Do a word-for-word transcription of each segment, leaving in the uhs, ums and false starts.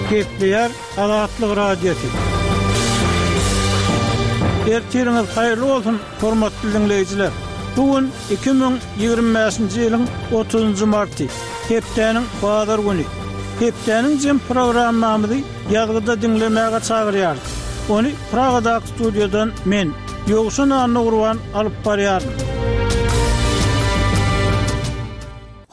Gepleýär Azatlyk Radiosy. Ertiriňiz haýyrly bolsun, hormatly diňleýjiler! Bu gün iki müň ýigrimi bäşinji ýylyň otuzynjy marty, hepdäniň bazar güni. Hepdäniň jem programmamyzy ýazgyda diňlemäge çagyrýarys. Ony Pragadaky studiýadan men, Ýowşan Annagurban alyp barýaryn.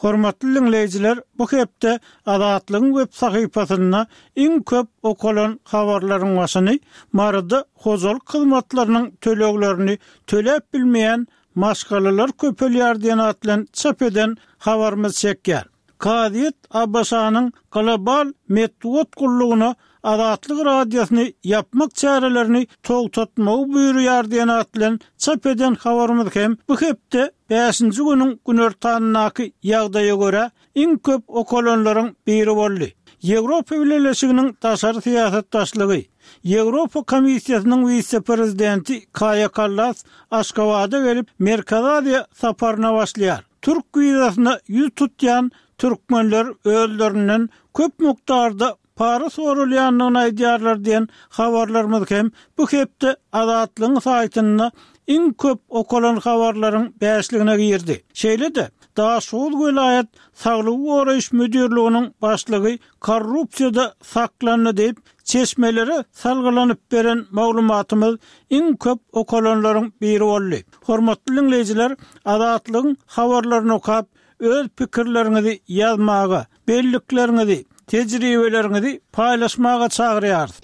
Hormatly diňleýjiler, bu hepde Azatlygyň web sahypasynda iň köp okalan habarlaryň başyny Maryda hojalyk hyzmatlarynyň töleglerini töläp bilmeýän maşgalalar köpelýär diýen at bilen çap eden habarymyz çekýär. Kazyýet ABŞ-nyň Global metbugat gullugyna Azatlyk Radiosyny ýapmak çärelerini togtatmagy buýurýar diýen at bilen çap eden habarymyz hem bu hepde bäşinji günüň günortanyndaky ýagdaýa görä iň köp okalanlaryň biri boldy. Ýewropa Bileleşiginiň daşary syýasat başlygy, Ýewropa Komissiýasynyň wise-prezidenti Kaýa Kallas Aşgabada gelip, Merkezi Aziýa saparyna başlaýar. Türk wizasyna ýüz tutýan türkmenler özlerinden köp mukdarda para soralýandygyny aýdýarlar diýen habarlarymyz hem bu hepde Azatlygyň saýtynda iň köp okalan habarlaryň bäşligine girdi. Şeýle-de, Daşoguz welaýat saglygy goraýyş müdirliginiň başlygy korrupsiýada saklandy diýip, çeşmelere salgylanyp beren maglumatymyz iň köp okalanlaryň biri boldy. Hormatly diňleýjiler, Azatlygyň habarlaryny okap, öz pikirleriňizi ýazmaga, bellikleriňizi, tejribeleriňizi paýlaşmaga çagyrýarys.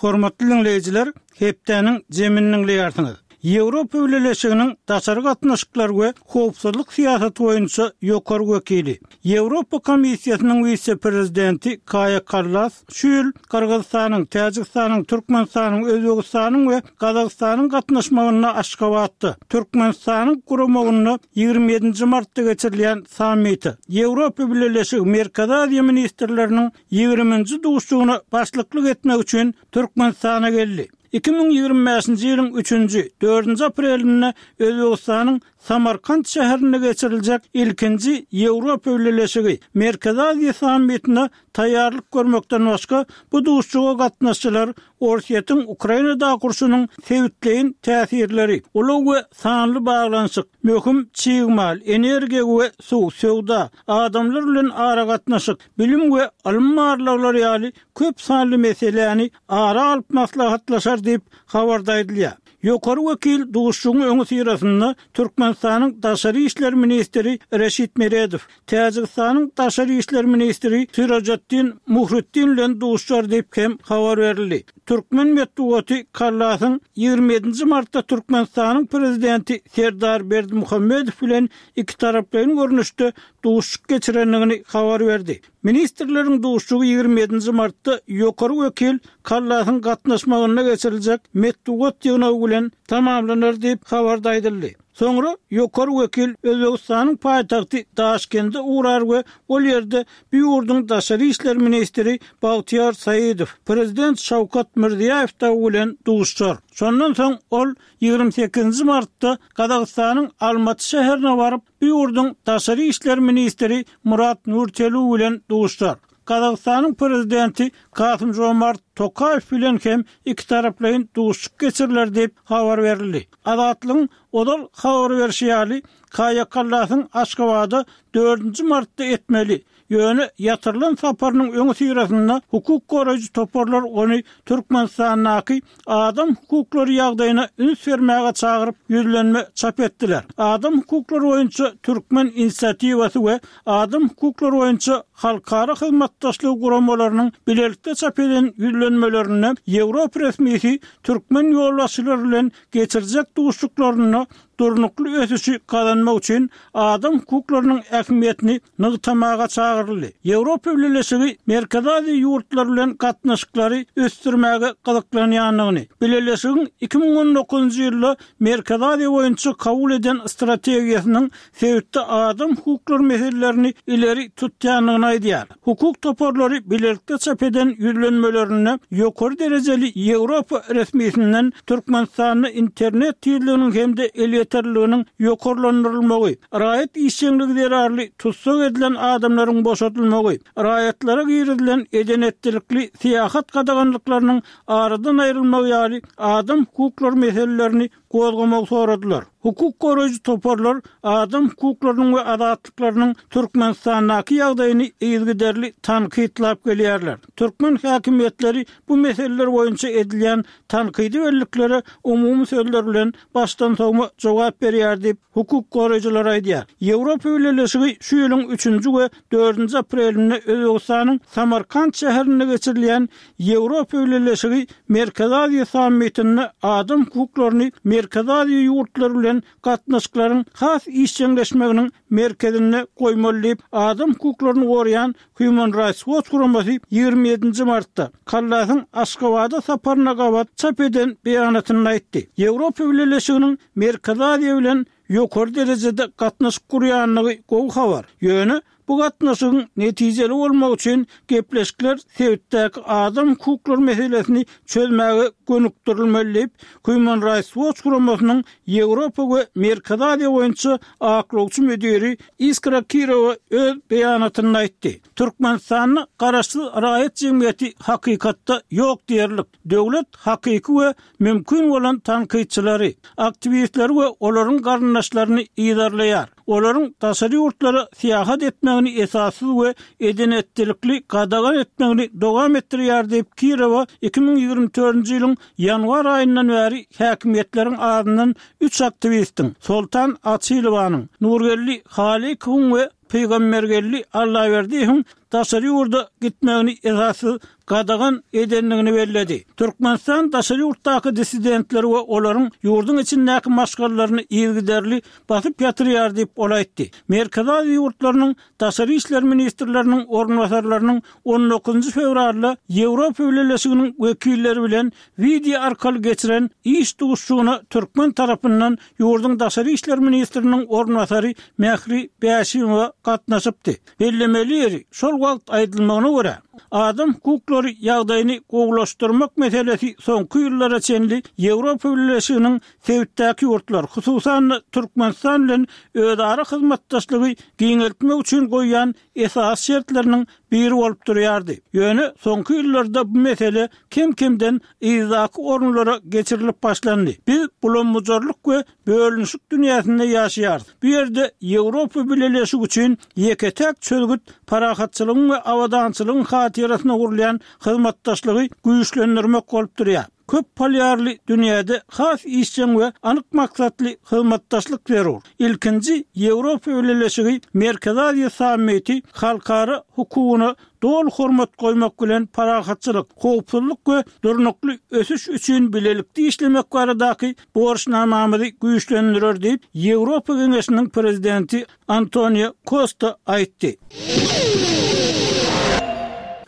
Hormatly diňleýjiler, hepdäniň jemini diňleýärsiňiz. Ýewropa Bileleşiginiň daşary gatnaşyklar we howpsuzlyk syýasaty boýunça ýokary wekili, Ýewropa Komissiýasynyň wise-prezidenti Kaýa Kallas şu ýyl Gyrgyzystanyň, Täjigistanyň, Türkmenistanyň, Özbegistanyň we Gazagystanyň gatnaşmagynda Aşgabatda, Türkmenistanyň guramagynda ýigrimi ýedinji martda geçirilýän sammite, Ýewropa Bileleşigi, Merkezi Aziýa ministrleriniň ýigriminji duşuşygyna başlyklyk etmek üçin Türkmenistana geldi. Iki müň ýigrimi bäşinji ýylyň üçünji, dördünji aprelinde Özbegistanyň Samarkant şäherinde geçiriljek ilkinji Ýewropa Bileleşigi, Merkezi Aziýa sammitine taýýarlyk görmekden başga, bu duşuşyga gatnaşyjylar Orsýetiň Ukrainadaky urşunyň sebitleýin täsirleri, ulag we sanly baglanyşyk, möhüm çig mal, energiýa we suw, söwda, adamlar bilen aragatnaşyk, bilim we ylym barlaglary ýaly köp sanly meseläni ara alyp maslahatlaşar diýip, habarda aýdylýar. Ýokary wekil duşuşygyň öňüsyrasynda Türkmenistanyň daşary işler ministri Reşit Meredow, Täjigistanyň daşary işler ministri Sirojatdin Muhriddin bilen duşuşar diýip hem habar berildi. Türkmen metbugaty Kallasyň ýigrimi ýedinji martda Türkmenistanyň Prezidenti Serdar Berdimuhamedow bilen ikitaraplaýyn görnüşde duşuşyk geçirendigini habar berdi. Ministrleriň duşuşygy ýigrimi ýedinji martda ýokary wekil Kallasyň gatnaşmagynda geçiriljek metbugat ýygnagy bilen tamamlanar diýip, habarda aýdyldy. Soňra ýokary wekil Özbegistanyň paýtagty Daşkende ugrar we ol ýerde bu ýurduň daşary işler ministri Bagtyýar Saidow, prezident Şawkat Mirziýaýew dagy bilen duşuşar. Şondan soň ol ýigrimi sekizinji martda Gazagystanyň Almaty şäherine baryp, bu ýurduň daşary işler ministri Murat Nurtelu bilen duşuşar. Gazagystanyň prezidenti Kasym-Žomart Tokaýew bilen hem ikitaraplaýyn duşuşyk geçiriler diýip habar berildi. Azatlygyň ozal habar berşi ýaly, Kaýa Kallasyň Aşgabada dördünji martda etmeli, ýöne ýatyrylan saparynyň öňüsyrasynda hukuk goraýjy toparlar ony Türkmenistandaky adam hukuklary ýagdaýyna üns bermäge çagyryp ýüzlenme çap etdiler. Adam hukuklary boýunça Türkmen inisiatiwasy we Adam hukuklary boýunça halkara hyzmatdaşlygy guramalarynyň bilelikde çap eden ýüzlenmelerinde ýewropa resmisi türkmen ýolbaşçylary bilen geçirjek duşuşyklarynda durnukly ösüşi gazanmak üçin adam hukuklarynyň ähmiýetini nygtamaga çagyryldy. Ýewropa Bileleşigi Merkezi Aziýa ýurtlary bilen gatnaşyklary ösdürmäge gyzyklanýandygyny, Bileleşigiň iki müň on dokuzynjy ýylda Merkezi Aziýa boýunça kabul eden strategiýasynyň sebitde adam hukuklary meselelerini ileri tutýandygyny aýdýar. Hukuk toparlary bilelikde çap eden ýüzlenmelerinde ýokary derejeli Ýewropa resmisinden Türkmenistanda internet tizliginiň hem-de elýeterliliginiň elýeterliliginiň ýokarlandyrylmagy, raýat işjeňligi zerarly tussag edilen adamlaryň boşadylmagy, raýatlara girizilen eden-etdilikli syýahat gadaganlyklarynyň aradan aýrylmagy ýaly adam hukuklary meselelerini gozgamagy soradylar. Hukuk goraýjy toparlar adam hukuklarynyň we azatlyklarynyň Türkmenistandaky ýagdaýyny yzygiderli tankytlap gelýärler. Türkmen häkimiýetleri bu meseleler boýunça edilýän tankydy belliklere umumy sözler bilen başdan sowma jogap berýär diýip, hukuk goraýjylar aýdýar. Ýewropa Bileleşigi şu ýylyň üçünji we dördünji aprelinde Özbegistanyň Samarkant şäherinde geçirilýän Ýewropa Bileleşigi Merkezi Aziýa sammitinde adam hukuklaryny Merkezi Aziýa ýurtlary bilen gatnaşyklaryň has işjeňleşmeginiň merkezinde goýmaly diýip, adam hukuklaryny goraýan Human Rights Watch guramasy ýigrimi ýedinji martda, Kallasyň Aşgabada saparyna gabat çap eden beýanatynda aýtdy. Ýewropa Bileleşiginiň Merkezi Aziýa bilen ýokary derejede gatnaşyk gurýandygy gowy habar. Ýöne bu gatnaşygyň netijeli bolmagy üçin gepleşikler sebitdäki adam hukuklary meselesini çözmäge gönükdirilmeli diýip, Human Rights Watch guramasynyň Ýewropa we Merkezi Aziýa boýunça aklawçy müdiri Iskra Kirowa öz beýanatynda aýtdy. Türkmenistanda garaşsyz raýat jemgyýeti hakykatda ýok diýerlik. Döwlet hakyky we mümkin bolan tankytçylary, aktiwistleri we olaryň garyndaşlaryny yzarlaýar. Olaryň daşary ýurtlara syýahat etmegini esassyz we eden-etdilikli gadagan etmegini dowam etdirýär diýip, Kirowa iki müň ýigrimi dördünji ýylyň ýanwar aýyndan bäri häkimiýetleriň azyndan üç aktiwistiň, Soltan Açylowanyň, Nurgeldi Halykowyň we Pygambergeldi Allaberdiýewiň daşary ýurda gitmegini esassyz gadagan edendigini belledi. Türkmenistan daşary ýurtdaky dissidentleri we olaryň ýurduň içindäki maşgalalaryny yzygiderli basyp ýatyrýar diýip, ol aýtdy. Merkezi Aziýa ýurtlarynyň daşary işler ministrleriniň orunbasarlarynyň on dokuzynjy fewralda Ýewropa Bileleşiginiň wekilleri bilen wideo arkaly geçiren iş duşuşygyna türkmen tarapyndan ýurduň daşary işler ministriniň orunbasary Mähri Bäşimowa gatnaşypdy. Bellemeli ýeri, şol wagt aýdylmagyna görä, adam hukuklary ýagdaýyny gowulaşdyrmak meselesi soňky ýyllara çenli Ýewropa Bileleşiginiň sebitdäki ýurtlar, hususan-da, Türkmenistan bilen özara hyzmatdaşlygy giňeltmek üçin goýýan esasy şertleriniň biri bolup durýardy. Ýöne soňky ýyllarda bu mesele kem-kemden yzdaky orunlara geçirilip başlandy. Biz bulam-bujarlyk we bölünişik dünýäsinde ýaşaýarys. Bu ýerde Ýewropa Bileleşigi üçin ýeke-täk çözgüt parahatçylygyň we abadançylygyň hatyrasyna gurulýan hyzmatdaşlygy güýçlendirmek bolup durýar. Köp polýarly dünýäde has işjeň we anyk maksatly hyzmatdaşlyk zerur. Ilkinji Ýewropa Bileleşigi Merkezi Aziýa sammiti halkara hukugyna doly hormat goýmak bilen parahatçylyk, howpsuzlyk we durnukly ösüş üçin bilelikde işlemek baradaky borçnamamyzy güýçlendirer diýip, Ýewropa Geňeşiniň Prezidenti Antonio Kosta aýtdy.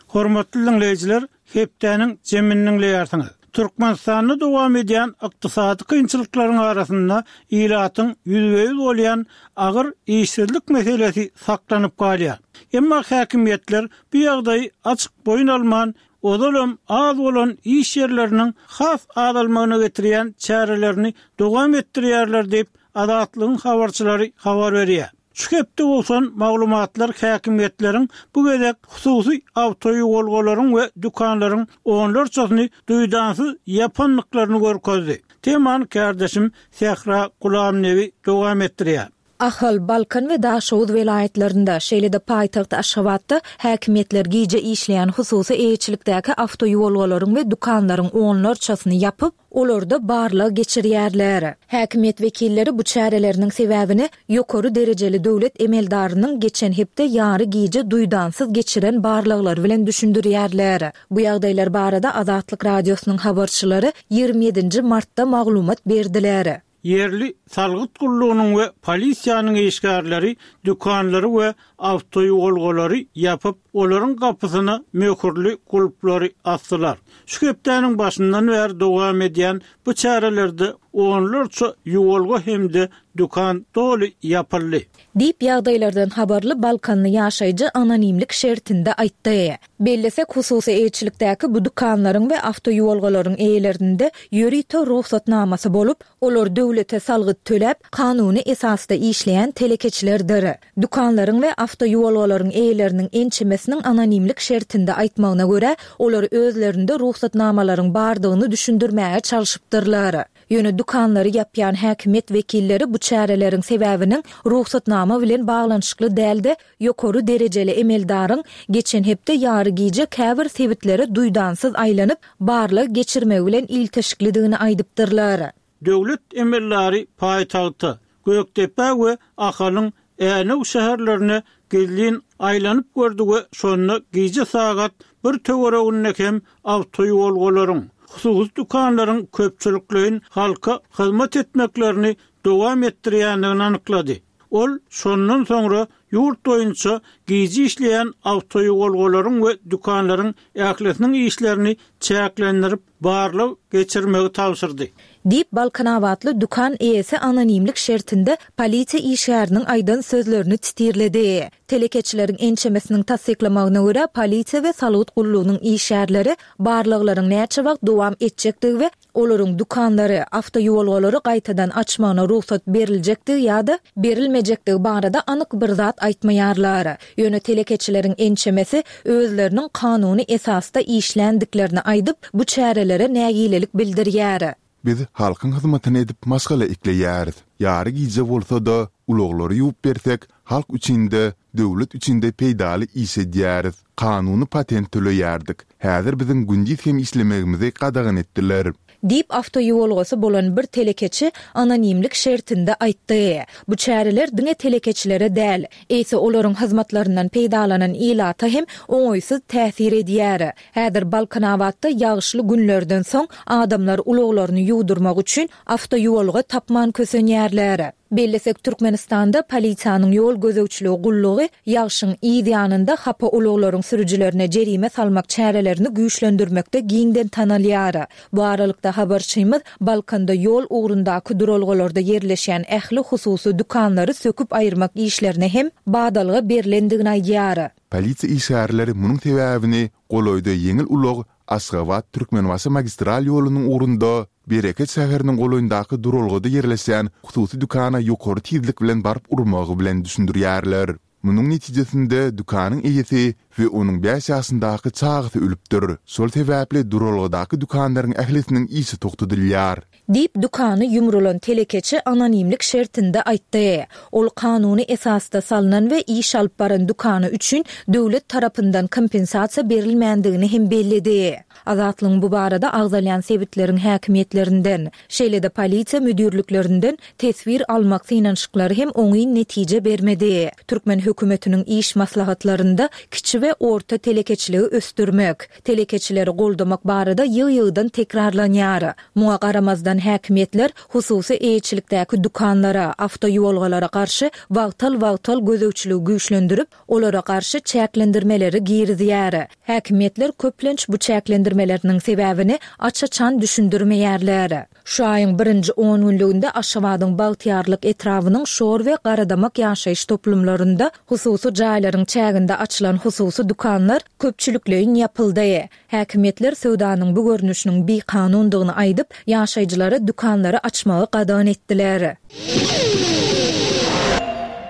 Hormatly diňleýjiler, hepdäniň jemini diňleýärsiňiz. Türkmenistanda dowam edýän ykdysady kynçylyklaryň arasynda ilatyň ýüzbe-ýüz bolýan agyr işsizlik meselesi saklanyp galýar. Emma häkimiýetler bu ýagdaýy açyk boýun alman, ozalam az bolan iş ýerleriniň has azalmagyna getirýän çärelerini dowam etdirýärler diýip, Azatlygyň habarçylary habar berýär. Şu hepde gowşan maglumatlar häkimiýetleriň bu gezek hususy awtoýuwalgalaryň we dükanlaryň onlarçasyny duýdansyz ýapandyklaryny görkezdi. Temany kärdeşim Sähra Gulamnebi dowam etdirýär. Ahal, Balkan we Daşoguz welaýatlarynda, şeýle-de paýtagt Aşgabatda häkimiýetler gije işleýän hususy eýeçilikdäki awtoýuwalgalaryň we dükanlaryň onlarçasyny ýapyp, olarda barlag geçirýärler. Häkimiýet wekilleri bu çäreleriniň sebäbini ýokary derejeli döwlet emeldarynyň geçen hepde ýary gije duýdansyz geçiren barlaglary bilen düşündirýärler. Bu ýagdaýlar barada Azatlyk Radiosynyň habarçylary ýigrimi ýedinji martda maglumat berdiler. Ýerli salgyt gullugynyň we polisiýanyň işgärleri dükanlary we awtoýuwalgalary ýapyp, olaryň gapysyna möhürli gulplary asdylar. Şu hepdäniň başyndan bäri dowam edýän bu çärelerde onlarça ýuwalga hem-de dükan doly ýapyldy. Diýip, ýagdaýlardan habarly balkanly ýaşaýjy anonimlik şertinde aýtdy. Bellesek, hususy eýeçilikdäki bu dükanlaryň we awtoýuwalgalaryň eýelerinde ýörite rugsatnamasy bolup, olar döwlete salgyt töläp, kanuny esasda işleýän telekeçilerdir. Dükanlaryň we awtoýuwalgalaryň eýeleriniň ençemesiniň anonimlik şertinde aýtmagyna görä, olar özlerinde rugsatnamalaryň bardygyny düşündirmäge çalşypdyrlar. Ýöne dükanlary ýapýan häkimiýet wekilleri bu çäreleriň sebäbiniň rugsatnama bilen baglanyşykly däl-de, ýokary derejeli emeldaryň geçen hepde ýary gije käbir sebitlere duýdansyz aýlanyp, barlag geçirmegi bilen ilteşiklidigini aýdypdyrlar. Döwlet emeldary paýtagta, Gökdepä we Ahalyň Änew şäherlerine gizlin aýlanyp gördi we şonda gije sagat bir töwereginde hem awtoýuwalgalaryň, hususy dükanlaryň köpçülikleýin halka hyzmat etmeklerini dowam etdirýändigini anyklady. Ol şondan soňra ýurt boýunça gije işleýän awtoýuwalgalaryň we dükanlaryň ählisiniň işlerini çäklendirip, barlag geçirmegi tabşyrdy. Diýip, balkanabatly dükan eýesi anonimlik şertinde polisiýa işgäriniň aýdan sözlerini titirledi. Telekeçileriň ençemesiniň tassyklamagyna görä, polisiýa we salgyt gullugynyň işgärleri barlaglaryň näçe wagt dowam etjekdigi we olaryň dükanlary, awtoýuwalgalary gaýtadan açmagyna rugsat beriljekdigi ýa-da berilmejekdigi barada anyk bir zat aýtmaýarlar. Ýöne telekeçileriň ençemesi özleriniň kanuny esasda işländiklerini aýdyp, bu çärelere nägilelik bildirýär. Biz halkyň hyzmatyny edip maşgala ekleýäris. Ýary gije bolsa-da, ulaglary ýuwup bersek, halk üçin-de, döwlet üçin-de peýdaly iş edýäris. Kanuny patent töleýärdik. Häzir biziň gündiz hem işlemegimizi gadagan etdiler. Diýip, awtoýuwalgasy bolan bir telekeçi anonimlik şertinde aýtdy. Bu çäreler diňe telekeçilere däl, eýse olaryň hyzmatlaryndan peýdalanan ilata hem oňaýsyz täsir edýär. Häzir Balkanabatda ýagyşly günlerden soň adamlar ulaglaryny ýuwdurmak üçin awtoýuwalga tapman kösenýärler. Bellesek, Türkmenistanda polisiýanyň ýol gözegçiligi gullugy ýagşyň yz ýanynda hapa ulaglaryň sürüjilerine jerime salmak çärelerini güýçlendirmekde giňden tanalýar. Bu aralykda, habarçymyz Balkanda ýol ugrundaky duralgalarda ýerleşýän ähli hususy dükanlary söküp aýyrmak işlerine hem badalga berlendigini aýdýar. Polisiýa işgärleri munuň sebäbini golaýda ýeňil ulag Aşgabat, Türkmenbaşy magistral ýolunyň ugrunda Bereket şäheriniň golaýyndaky duralgada ýerleşýän hususy dükana ýokary tizlik bilen baryp urmagy bilen düşündirýärler. Munuň netijesinde dükanyň eýesi we onuň bäş ýaşyndaky çagasy ölüpdir. Şol sebäpli duralgadaky dükanlaryň ählisiniň işi togtadylýar. Diýip, dükany ýumrulan telekeçi anonimlik şertinde aýtdy. Ol kanuny esasda salnan we iş alyp baran dükany üçin döwlet tarapyndan kompensasiýa berilmändigini hem belledi. Azatlygyň bu barada agzalýan sebitleriň häkimiýetlerinden, şeýle-de polisiýa müdirliklerinden teswir almak synanyşyklary hem oňyn netije bermedi. Türkmen hökümetiniň iş maslahatlarynda kiçi we orta telekeçiligi ösdürmek, telekeçileri goldamak barada ýygy-ýygydan tekrarlanýar. Muňa garamazdan, häkimiýetler hususy eýeçilikdäki dükanlara, awtoýuwalgalara garşy wagtal-wagtal gözegçiligi güýçlendirip, olara garşy çäklendirmeleri girizýär. Häkimiýetler köplenç bu çäklendirmeleriniň sebäbini aç-açan düşündirmeýärler. Şu aýyň birinji on günlüginde Aşgabadyň Bagtyýarlyk etrabynyň Şor we Garadamak ýaşaýyş toplumlarynda hususy jaýlaryň çäginde açylan hususy dükanlar köpçülikleýin ýapyldy. Häkimiýetler söwdanyň bu görnüşiniň bikanundygyny aýdyp, ýaşaýjylara dükanlary açmagy gadagan etdiler.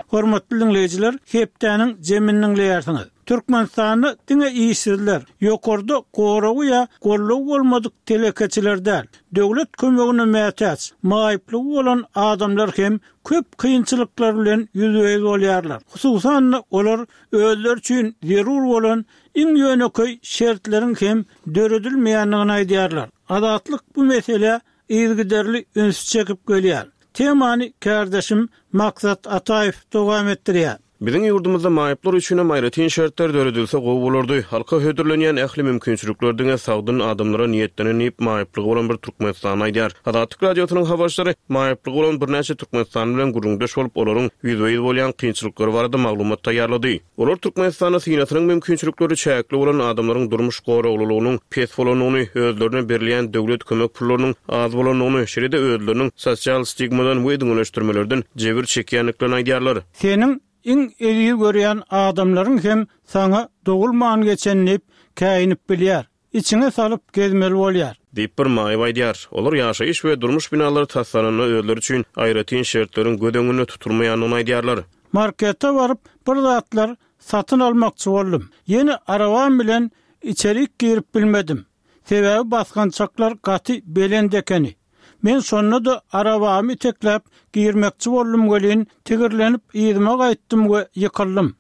Hormatly diňleýjiler, hepdäniň jemini diňleýärsiňiz. Türkmenistanda diňe işsizler, ýokarda goragy ýa goldawy bolmadyk telekeçiler däl, döwlet kömegine mätäç, maýyplygy bolan adamlar hem köp kynçylyklar bilen ýüzbe-ýüz bolýarlar. Hususan-da, olar özleri üçin zerur bolan iň ýönekeý şertleriň hem döredilmeýändigini aýdýarlar. Azatlyk bu meselä yzygiderli ünsi çekip gelýär. Temany kärdeşim Maksat Ataýew dowam etdirýär. Biziň ýurdumyzda maýyplar üçin hem aýratyn şertler döredilse gowy bolardy. Halka hödürlenýän ähli mümkinçilikler diňe sagdyn adamlara niýetlenen diýip, maýyplygy bolan bir türkmenistanly aýdýar. Azatlyk Radiosynyň habarçylary maýyplygy bolan birnäçe türkmenistanly bilen gürrüňdeş bolup, olaryň ýüzbe-ýüz bolýan kynçylyklary barada maglumat taýýarlady. Olar Türkmenistanda synasynyň mümkinçilikleri çäkli bolan adamlaryň durmuş goraglylygynyň pes bolandygyny, özlerine berilýän döwlet kömek pullarynyň az bolandygyny, şeýle-de özleriniň sosial stigmadan we düňeleşdirmelerden jebir çekýändiklerini aýdýarlar. Seniň iň eziz görýän adamlaryň hem saňa dogulman geçen diýip käýinip bilýär. Içiňe salyp gezmeli bolýar. Diýip bir maýyp aýdýar. Olar ýaşaýyş we durmuş binalary taslananda özleri üçin aýratyn şertleriň göz öňünde tutulmaýandygyny aýdýarlar. Markete baryp bir zatlar satyn almakçy boldum. Ýene arabam bilen içerik girip bilmedim. Sebäbi basgançaklar gaty belent ekeni. Men şonda-da arabamy itekläp girmekçi boldum welin, tigirlenip yzyma gaýtdym we ýykyldym.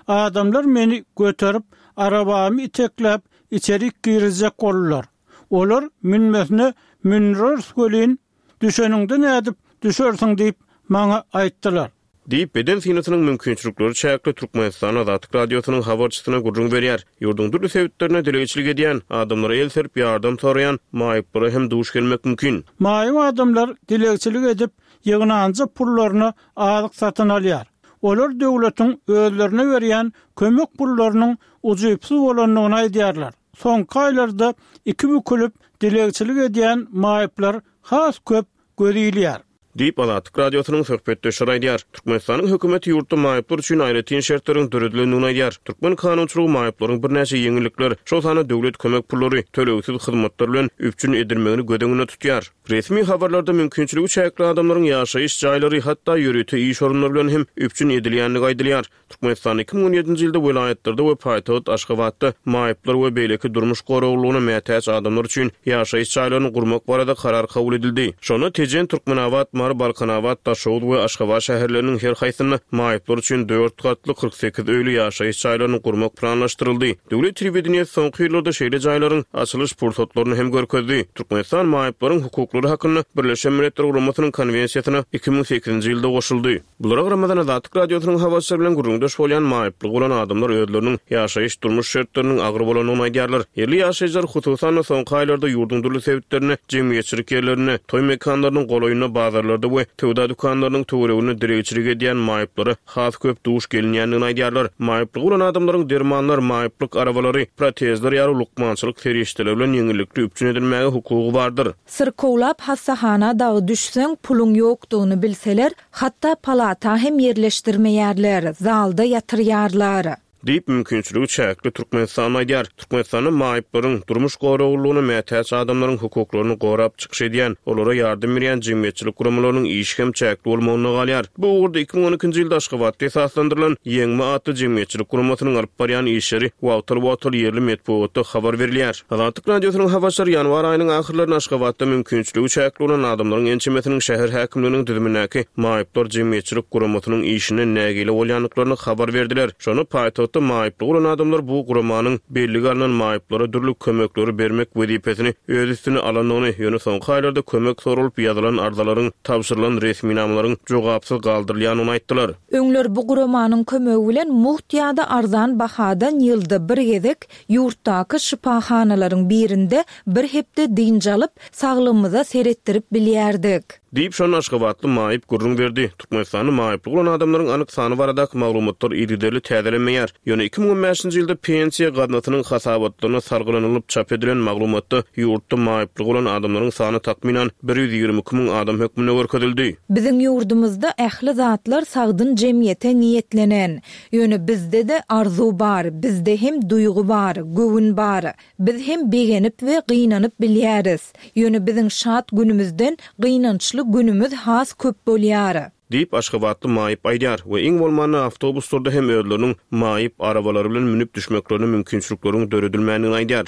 Adamlar meni göterip, arabamy itekläp içerik girizjek boldular. Olar münmesine mündireris welin, düşeniňde nädip düşersiň diýip maňa aýtdylar. Diýip, beden synasynyň mümkinçilikleri çäkli Türkmenistan Azatlyk Radiosynyň habarçysyna gürrüň berýär. Ýurduň dürli sebitlerinde dilegçilik edýän, adamlara el serip ýardam soraýan maýyplara hem duş gelmek mümkin. Maýyp adamlar dilegçilik edip, ýygnanja pullaryna azyk satyn alýar. Olar döwletiň özlerine berýän kömek pullarynyň ujypsyz bolandygyny aýdýarlar. Soňky aýlarda iki bükülip dilegçilik edýän maýyplar has köp göz ilýär. Diýip, Azatlyk Radiosynyň söhbetdeşleri aýdýar. Türkmenistanyň hökümeti ýurtda maýyplar üçin aýratyn şertleriň döredilendigini aýdýar. Türkmen kanunçylygy maýyplaryň birnäçe ýeňillikler, şol sanda döwlet kömek pullary, tölegsiz hyzmatlar bilen üpjün edilmegini göz öňünde tutýar. Resmi habarlarda mümkinçiligi çäkli adamlaryň ýaşaýyş jaýlary, hatda ýörite iş orunlary bilen hem üpjün edilýändigi aýdylýar. Türkmenistanda iki müň on ýedinji ýylda welaýatlarda we paýtagt Aşgabatda maýyplar we beýleki durmuş goraglylygyna mätäç adamlar üçin ýaşaýyş jaýlaryny gurmak barada karar kabul edildi. Şonda Tejen, Türkmenabat, Mary, Balkanabat, Daşoguz we Aşgabat şäherleriniň her haýsynda maýyplar üçin dört gatly kyrk sekiz öýli ýaşaýyş jaýlaryny gurmak planlaşdyryldy. Döwlet telewideniýesi soňky ýyllarda şeýle jaýlaryň açylyş pursatlaryny hem görkezdi. Türkmenistan maýyplaryň hukuklary hakynda Birleşen Milletler Guramasynyň konwensiýasyna iki müň sekizinji ýylda goşuldy. Bulara garamazdan Azatlyk Radiosynyň habarçylary bilen gürrüňdeş bolýan maýyplygy bolan adamlar özleriniň ýaşaýyş durmuş şertleriniň agyr bolandygyny aýdýarlar. Ýerli ýaşaýjylar hususan-da soňky aýlarda ýurduň dürli sebitlerinde, jemgyýetçilik ýerlerinde, toý mekanlarynyň golaýynda, bazarlarda we söwda dükanlarynyň töwereginde dilegçilik edýän maýyplara has köp duş gelinýändigini aýdýarlar. Maýyplygy bolan adamlaryň dermanlar, maýyplyk arabalary, protezler ýaly lukmançylyk serişdeleri bilen ýeňillikli üpjün edilmäge hukugy bardyr. Syrkawlap hassahana dagy düşseň, puluň ýokdugyny bilseler, hatda palata hem ýerleşdirmeýärler, zalda ýatyrýarlar. Diýip, mümkinçiligi çäkli Türkmenistan aýdýar. Türkmenistanda maýyplaryň durmuş goraglylygyna mätäç adamlaryň hukuklaryny gorap çykyş edýän, olara ýardam berýän jemgyýetçilik guramalarynyň işi hem çäkli bolmagyna galýar. Bu ugurda iki müň on ikinji ýylda Aşgabatda esaslandyrylan Ýeňme atly jemgyýetçilik guramasynyň alyp barýan işleri wagtal-wagtal ýerli metbugatda habar berilýär. Azatlyk Radiosynyň habarçylary ýanwar aýynyň ahyrlarynda Aşgabatda mümkinçiligi çäkli bolan adamlaryň ençemesiniň şäher häkimliginiň düzümindäki maýyplar jemgyýetçilik guramasynyň işinden nägile bolýandyklaryny habar berdiler. Şonda paýtagtda maýyplygy bolan adamlar bu guramanyň bellige alnan maýyplara dürli kömekleri bermek wezipesini öz üstüne alandygyny, ýöne soňky aýlarda kömek soralyp ýazylan arzalaryň, tabşyrylan resminamalaryň jogapsyz galdyrylýandygyny aýtdylar. Öňler bu guramanyň kömegi bilen mugt ýa-da arzan bahadan ýylda bir gezek ýurtdaky şypahanalaryň birinde bir hepde dynç alyp, saglygymyza seretdirip bilýärdik. Diýip, şonda Aşgabatly maýyp gürrüň berdi. Türkmenistanda maýyplygy bolan adamlaryň anyk sany baradaky maglumatlar yzygiderli täzelenmeýär. Ýöne iki müň on bäşinji ýylda pensiýa gaznasynyň hasabatlaryna salgylanylyp çap edilen maglumatda ýurtda maýyplygy bolan adamlaryň sany takmynan bir ýüz ýigrimi iki müň adam hökmünde görkezildi. Biziň ýurdumyzda ähli zatlar sagdyn jemgyýete niýetlenen. Ýöne bizde-de arzuw bar, bizde hem duýgy bar, göwün bar. Biz hem begenip we gynanyp bilýäris. Ýöne biziň şat günümizden gynançly günümüz has köp bolýar. Diýip, Aşgabatly maýyp aýdýar we iň bolmanda awtobuslarda hem özleriniň maýyp arabalary bilen münüp düşmeklerine mümkinçilikleriň döredilmändigini aýdýar.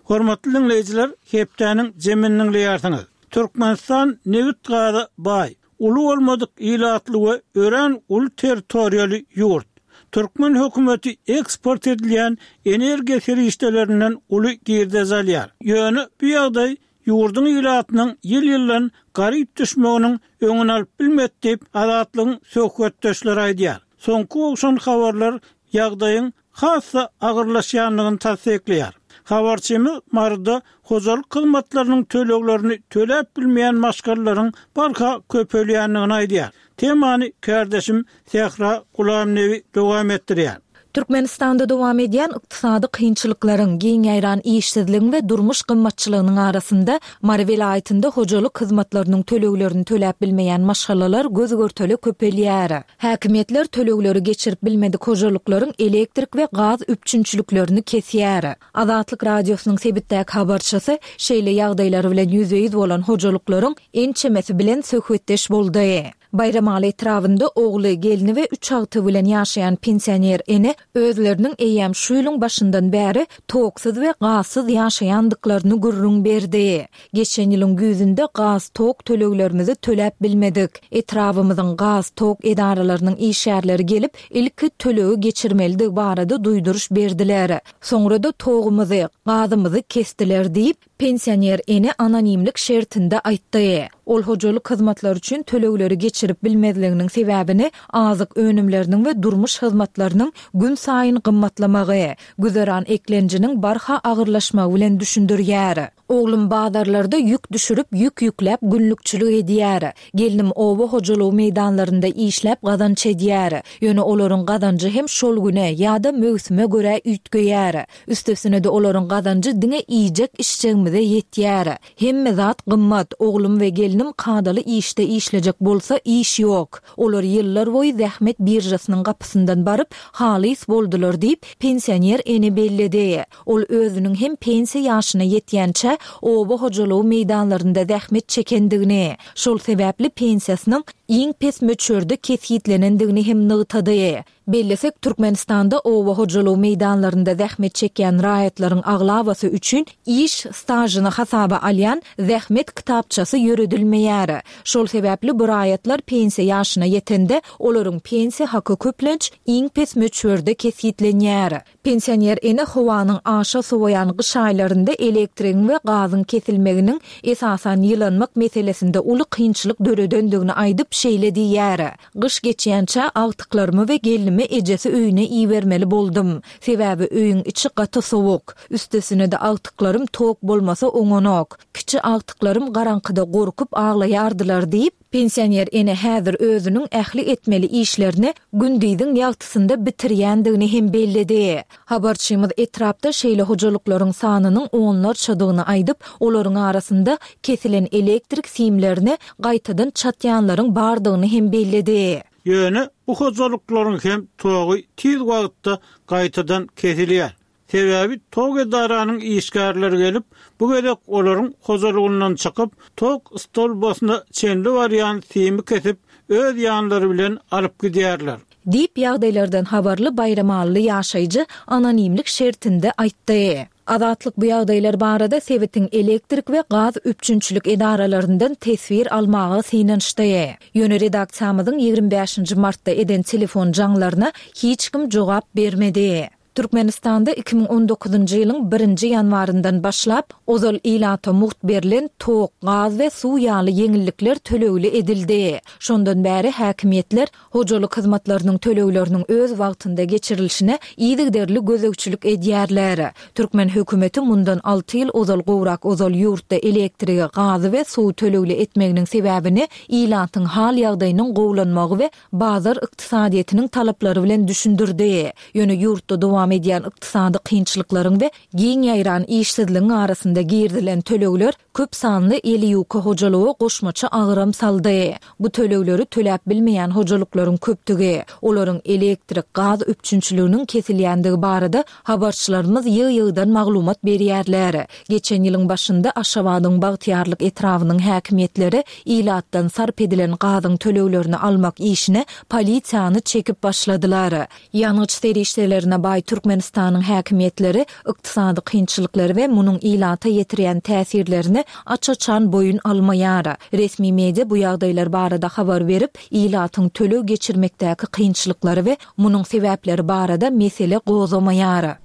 Hormatly dinleýjiler, hepdäniň jemini dinleýärsiňiz. Türkmenistan nebit gaza baý, uly bolmadyk ilatly we örän uly territoriýaly ýurt. Türkmen hökümeti eksport edilýän energiýa serişdelerinden uly girdej alýar. Ýöne bu ýagdaý ýurduň ilatynyň ýyl-ýyldan garyp düşmeginiň öňüni alyp bilmedi diýip, Azatlygyň söhbetdeşleri aýdýar. Soňky gowşan habarlar ýagdaýyň has-da agyrlaşýandygyny tassyklaýar. Habarçymyz Maryda hojalyk hyzmatlarynyň töleglerini töläp bilmeýän maşgalalaryň barha köpelýändigini aýdýar. Temany kärdeşim Sähra Gulamnebi dowam etdirýär. Türkmenistanda dowam edýän ykdysady kynçylyklaryň, giň ýaýran işsizligiň we durmuş gymmatçylygynyň arasynda Mary welaýatynda hojalyk hyzmatlarynyň töleglerini töläp bilmeýän maşgalalar göz-görtele köpelýär. Häkimiýetler tölegleri geçirip bilmedik hojalyklaryň elektrik we gaz üpjünçiliklerini kesýär. Azatlyk Radiosynyň sebitdäki habarçysy şeýle ýagdaýlar bilen ýüzbe-ýüz bolan hojalyklaryň ençemesi bilen söhbetdeş boldy. Baýramaly etrabynda ogly, gelni we üç agtygy bilen ýaşaýan pensioner ene özleriniň eýýäm şu ýylyň başyndan bäri toksuz we gazsyz ýaşaýandyklaryny gürrüň berdi. Geçen ýylyň güýzünde gaz, tok töleglerimizi töläp bilmedik. Etrabymyzyň gaz, tok edaralarynyň işgärleri gelip, ilki tölegi geçirmelidigi barada duýduryş berdiler. Soňra-da togumyzy, gazymyzy kesdiler diýip, pensioner ene anonimlik şertinde aýtdy. Ol hojalyk hyzmatlary üçin tölegleri geçirip bilmezliginiň sebäbini azyk önümleriniň we durmuş hyzmatlarynyň günsaýyn gymmatlamagy, güzeran eklenjiniň barha agyrlaşmagy bilen düşündirýär. Oglum bazarlarda ýük düşürip, ýük ýükläp günlükçilik edýär. Gelnim oba hojalygy meýdanlarynda işläp gazanç edýär. Ýöne olaryň gazanjy hem şol güne ýa-da möwsüme görä üýtgeýär. Üstesine-de olaryň gazanjy diňe iýjek-içjegimize ýetýär. Hemme zat gymmat, oglum we gelnim kadaly işde işlejek bolsa iş ýok. Olar ýyllar boýy zähmet biržasynyň gapysyndan baryp, halys boldular diýip, pensioner ene belledi. Ol özüniň hem pensiýa ýaşyna ýetýänçä oba hojalygy meýdanlarynda zähmet çekendigini, şol sebäpli pensiýasynyň iň pes möçberde kesgitlenendigini hem nygtady. Bellesek, Türkmenistanda oba hojalygy meýdanlarynda zähmet çekýän raýatlaryň aglabasy üçin iş stažyny hasaba alýan zähmet kitapçasy ýöredilmeýär. Şol sebäpli bu raýatlar pensiýa ýaşyna ýetende, olaryň pensiýa haky köplenç iň pes möçberde kesgitlenýär. Pensioner ene howanyň aşa sowaýan gyş aýlarynda elektrigiň we gazyň kesilmeginiň esasan ýylanmak meselesinde uly kynçylyk döredendigini aýdyp, şeýle diýýär, Gyş geçýänçä agtyklarymy we gelnimi ejesi öýüne ibermeli boldum. Sebäbi öýüň içi gaty sowuk. Üstesine-de agtyklarym tok bolmasa oňanok. Kiçi agtyklarym garaňkyda gorkup aglaýardylar diýip, pensioner ene häzir özüniň ähli etmeli işlerini gündiziň ýagtysynda bitirýändigini hem belledi. Habarçymyz etrapda şeýle hojalyklaryň sanynyň onlarçadygyny aýdyp, olaryň arasynda kesilen elektrik simlerini gaýtadan çatýanlaryň bardygyny hem belledi. Ýöne bu hojalyklaryň hem togy tiz wagtda gaýtadan kesilýär. Sebäbi tok edaranyň işgärleri gelip, bu gezek olaryň hojalygyndan çykyp, tok stolbasyna çenli barýan simi kesip, öz ýanlary bilen alyp gidýärler. Diýip, ýagdaýlardan habarly baýramalyly ýaşaýjy anonimlik şertinde aýtdy. Azatlyk bu ýagdaýlar barada sebitiň elektrik we gaz üpjünçilik edaralaryndan teswir almaga synanyşdy. Ýöne redaksiýamyzyň ýigrimi bäşinji martda eden telefon jaňlaryna hiç kim jogap bermedi. Türkmenistanda iki müň on dokuzynjy ýylyň birinji ýanwaryndan başlap, ozal ilata mugt berlen tok, gaz we suw ýaly ýeňillikler tölegli edildi. Şondan bäri häkimiýetler hojalyk hyzmatlarynyň tölegleriniň öz wagtynda geçirilişine yzygiderli gözegçilik edýärler. Türkmen hökümeti mundan alty ýyl ozal gowrak ozal ýurtda elektrigi, gazy we suwy tölegli etmeginiň sebäbini ilatyň hal-ýagdaýynyň gowulanmagy we bazar ykdysadyýetiniň talaplary bilen düşündirdi. Ýöne ýurtda dowam edýän ykdysady kynçylyklaryň we giň ýaýran işsizligiň arasynda girizilen tölegler köp sanly eli ýuka hojalyga goşmaça agram saldy. Bu tölegleri töläp bilmeýän hojalyklaryň köpdügi, olaryň elektrik, gaz üpjünçiliginiň kesilýändigi barada habarçylarymyz ýygy-ýygydan maglumat berýärler. Geçen ýylyň başynda Aşgabadyň Bagtyýarlyk etrabynyň häkimiýetleri ilatdan sarp edilen gazyň töleglerini almak işine polisiýany çekip başladylar. Ýangyç serişdelerine baý Türkmenistanyň häkimiýetleri ykdysady kynçylyklary we munuň ilata ýetirýän täsirlerini aç-açan boýun almaýar. Resmi media bu ýagdaýlar barada habar berip, ilatyň töleg geçirmekdäki kynçylyklary we munuň sebäpleri barada mesele gozgamaýar.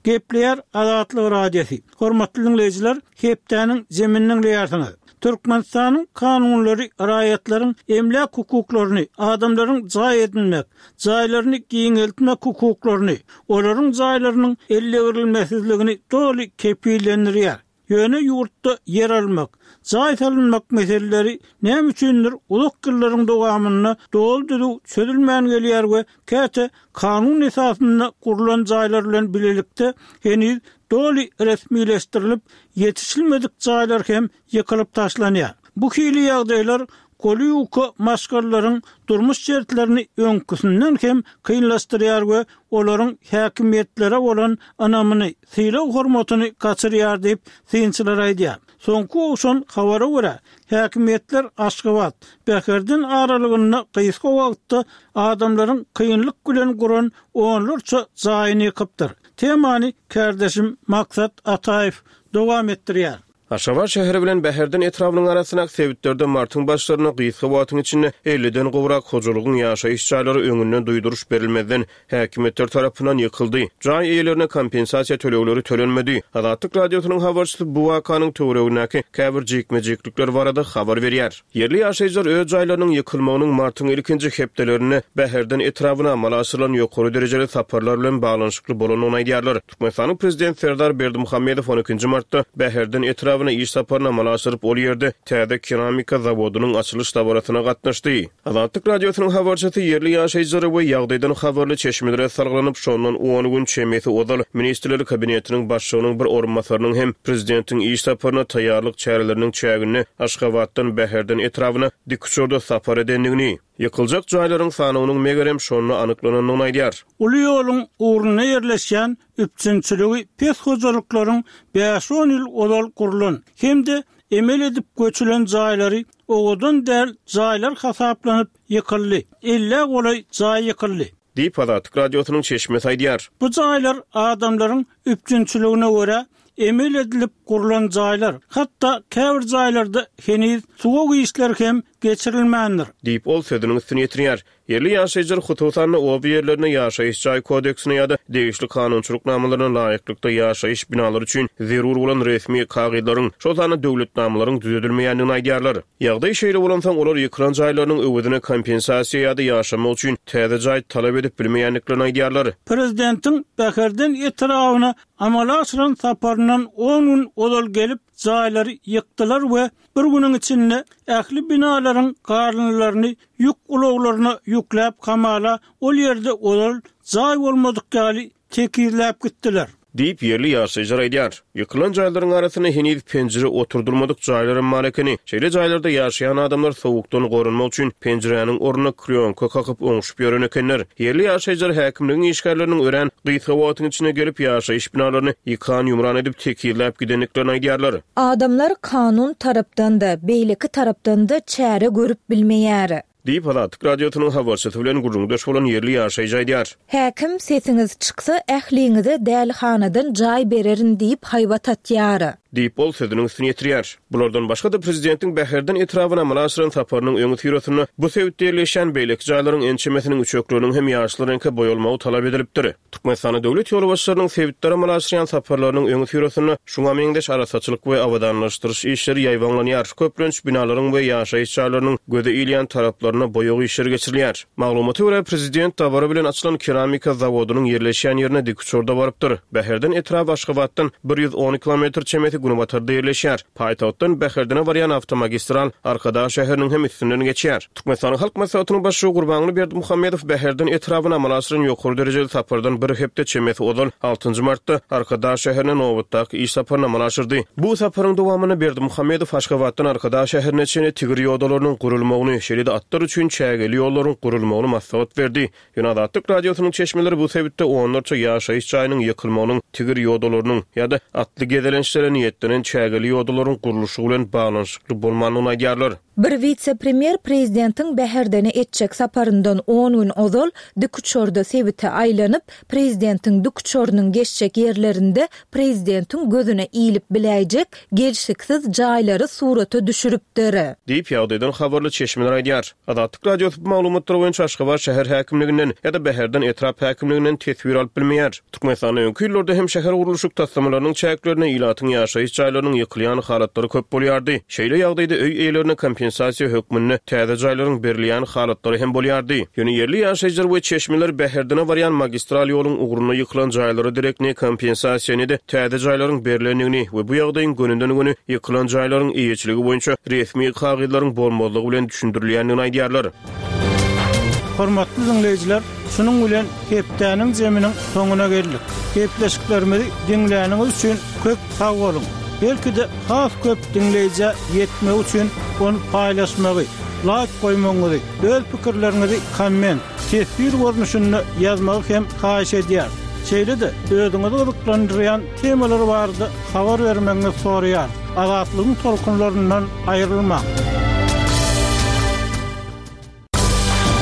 Gepleýär Azatlyk Radiosy. Hormatly dinleýjiler, hepdäniň zemini diňleýärsiňiz. Türkmenistanyň kanunlary raýatlaryň emläk hukuklaryny, adamlaryň jaý edinmek, jaýlaryny giňeltmek hukuklaryny, olaryň jaýlarynyň ellegirilmesizligini doly kepillendirýär. Ýöne ýurtda ýer almak, jaý salynmak meseleleri näme üçindir uzak ýyllaryň dowamynda doly düzüw çözülmän gelýär we käte kanun esasynda gurlan jaýlar bilen bilelikde heniz doly resmileşdirilip ýetişilmedik jaýlar hem ýykylyp taşlanýar. Bu hili ýagdaýlar goly ýuka maşgalalaryň durmuş şertlerini öňküsinden hem kynlaşdyrýar we olaryň häkimiýetlere bolan ynamyny, sylag hormatyny gaçyrýar diýip, synçylar aýdýar. Soňky gowşan habara görä, häkimiýetler Aşgabat, Bäherden aralygynda gysga wagtda adamlaryň kynlyk bilen guran onlarça jaýyny ýykypdyr. Temany kärdeşim Maksat Ataýew dowam etdirýär. Aşgabat şäheri bilen Bäherden etrabynyň arasyndaky sebitlerde martyň başlarynda gysga wagtyň içinde elliden gowrak hojalygyň ýaşaýyş jaýlary öňünden duýduryş berilmezden häkimiýetler tarapyndan ýykyldy. Jaý eýelerine kompensasiýa tölegleri tölenmedi. Azatlyk Radiosynyň habarçysy bu wakanyň töweregindäki käbir jikme-jiklikler barada habar berýär. Ýerli ýaşaýjylar öz jaýlarynyň ýykylmagynyň martyň ilkinji hepdelerinde Bäherden etrabyna amala aşyrylan ýokary derejeli saparlar bilen baglanyşykly bolandygyny aýdýarlar. Türkmenistanyň Prezidenti Serdar Berdimuhamedow on ikinji martda Bäherden etrabyna iş saparyny amala aşyryp, ol ýerde täze keramika zawodynyň açylyş dabarasyna gatnaşdy. Azatlyk Radiosynyň habarçysy ýerli ýaşaýjylara we ýagdaýdan habarly çeşmelere salgylanyp, şondan on gün çemesi ozal Ministrler Kabinetiniň başlygynyň bir orunbasarynyň hem prezidentiň iş saparyna taýýarlyk çäreleriniň çäginde Aşgabatdan Bäherden etrabyna dikuçarda sapar edendigini, ýykyljak jaýlaryň sanawynyň megerem şonda anyklanandygyny aýdýar. Uly ýoluň ugrunda ýerleşýän üpjünçiligi pes hojalyklaryň bäş-on ýyl ozal gurlan hem-de emel edip göçülen jaýlary owadan däl jaýlar hasaplanyp ýykyldy. Ellä golaý jaý ýykyldy. Diýip, Azatlyk Radiosynyň çeşmesi aýdýar. Bu jaýlar adamlaryň üpjünçiligine görä emel edilip gurlan jaýlar, hatda käbir jaýlarda heniz suwag işleri hem geçirilmändir. Diýip, ol sözüniň üstüni ýetirýär. Ýerli ýaşaýjylar hususan-da oba ýerlerinde ýaşaýyş jaý kodeksine ýa-da degişli kanunçylyk namalaryna laýyklykda ýaşaýyş binalary üçin zerur bolan resmi kagyzlaryň, şol sanda döwletnamalaryň düzedilmeýändigini aýdýarlar. Ýagdaý şeýle bolansoň, olar ýykylan jaýlarynyň öwezine kompensasiýa ýa-da ýaşamak üçin täze jaý talap edip bilmeýändiklerini aýdýarlar. Prezidentiň Bäherden etrabyna amala aşyran saparyndan on gün ozal gelip, jaýlary ýykdylar we bir günüň içinde ähli binalaryň garynlaryny ýük ulaglaryna ýükläp hamala ol ýerde ozal jaý bolmadyk ýaly tekizläp gitdiler. Diýip, ýerli ýaşaýjylar aýdýar. Ýykylan jaýlaryň arasynda heniz penjire oturdylmadyk jaýlar hem bar ekeni. Şeýle jaýlarda ýaşaýan adamlar sowukdan goranmak üçin penjiräniň ornuna klýonka kakyp oňşup ýören ekenler. Ýerli ýaşaýjylar häkimligiň işgärleriniň örän gysga wagtyň içinde gelip ýaşaýyş binalaryny ýykan-ýumran edip tekizläp gidendiklerini aýdýarlar. Adamlar kanun tarapdan-da, beýleki tarapdan-da çäre görüp bilmeýär. Diýip, Azatlyk Radiosynyň habarçysy bilen gürrüňdeş bolan ýerli ýaşaýjy aýdýar. Häkim sesiňiz çyksa ähliňize dälihanadan jaý bererin diýip haýbat atýar. Diýip, ol sözüniň üstüni ýetirýär. Bulardan başga-da prezidentiň Bäherden etrabyna amala aşyran saparynyň öňüsyrasynda bu sebitde ýerleşýän beýleki jaýlaryň ençemesiniň üçekleriniň hem ýaşyl reňke boýalmagy talap edilipdir. Türkmenistanda döwlet ýolbaşçylarynyň sebitlere amala aşyrýan saparlarynyň öňüsyrasynda şuňa meňzeş arassaçylyk we abadanlaşdyryş işleri ýaýbaňlanýar. Köplenç binalaryň we ýaşaýyş jaýlarynyň göze ilýän taraplaryna boýag işleri geçirilýär. Maglumata görä, prezident dabara bilen açylan keramika zawodynyň ýerleşýän ýerine dikuçarda barypdyr. Bäherden etraby Aşgabatdan bir ýüz on kilometr çemesi günbatarda ýerleşýär. Paýtagtdan Bäherdene barýan awtomagistral Arkadag şäheriniň hem üstünden geçýär. Türkmenistanyň Halk Maslahatynyň başlygy Gurbanguly Berdimuhamedow Bäherden etrabyna amala aşyran ýokary derejeli sapardan bir hepde çemesi ozal altynjy martda Arkadag şäherine nobatdaky iş saparyny amala aşyrdy. Bu saparyň dowamynda Berdimuhamedow Aşgabatdan Arkadag şäherine çenli tigir ýodalarynyň gurulmagyny, şeýle-de atlar üçin çägeli ýollaryň gurulmagyny maslahat berdi. Ýöne Azatlyk Radiosynyň çeşmeleri bu sebitde onlarça ýaşaýyş jaýynyň ýykylmagynyň tigir ýodalarynyň ýa-da atly gezelençlere niýetlenen çägeli ýodalaryň gurluşygy bilen baglanyşykly bolmandygyny aýdýarlar. Bir wise-premýer prezidentiň Bäherdene etjek saparyndan on gün ozal dikuçarda sebite aýlanyp, prezidentiň dikuçarynyň geçjek ýerlerinde prezidentiň gözüne ilip biläýjek gelşiksiz jaýlary surata düşüripdir. Diýip, ýagdaýdan habarly çeşmeler aýdýar. Azatlyk Radiosy bu maglumatlar boýunça Aşgabat şäher häkimliginden ýa-da Bäherden etrap häkimliginden teswir alyp bilmeýär. Türkmenistanda öňki ýyllarda hem şäher gurluşyk taslamalarynyň çäklerinde ilatyň ýaşaýyş jaýlarynyň ýykylýan halatlary köp bolýardy. Şeýle ýagdaýda öý eýelerine kompensasiýa hökmünde täze jaýlaryň berilýän halatlary hem bolýardy. Ýöne ýerli ýaşaýjylar we çeşmeler Bäherdene barýan magistral ýoluň ugrunda ýykylan jaýlara derek ne kompensasiýa ne-de täze jaýlaryň berlendigini we bu ýagdaýyň gönüden-göni ýykylan jaýlaryň eýeçiligi boýunça resmi kagyzlaryň bolmazlygy bilen düşündirilýändigini aýdýarlar. Hormatly diňleýjiler, şunuň bilen hepdäniň zeminiň soňuna geldik. Gepleşiklerimizi diňläniňiz üçin köp sag boluň. Belki-de has köp diňleýjä ýetmek üçin ony paýlaşmagy, laýk goýmagyňyzy, öz pikirleriňizi komment, teswir görnüşinde ýazmagy hem haýyş edýär. Şeýle-de özüňizi gyzyklandyrýan temalar barada habar bermegiňizi soraýar. Azatlygyň tolkunlaryndan aýrylmaň.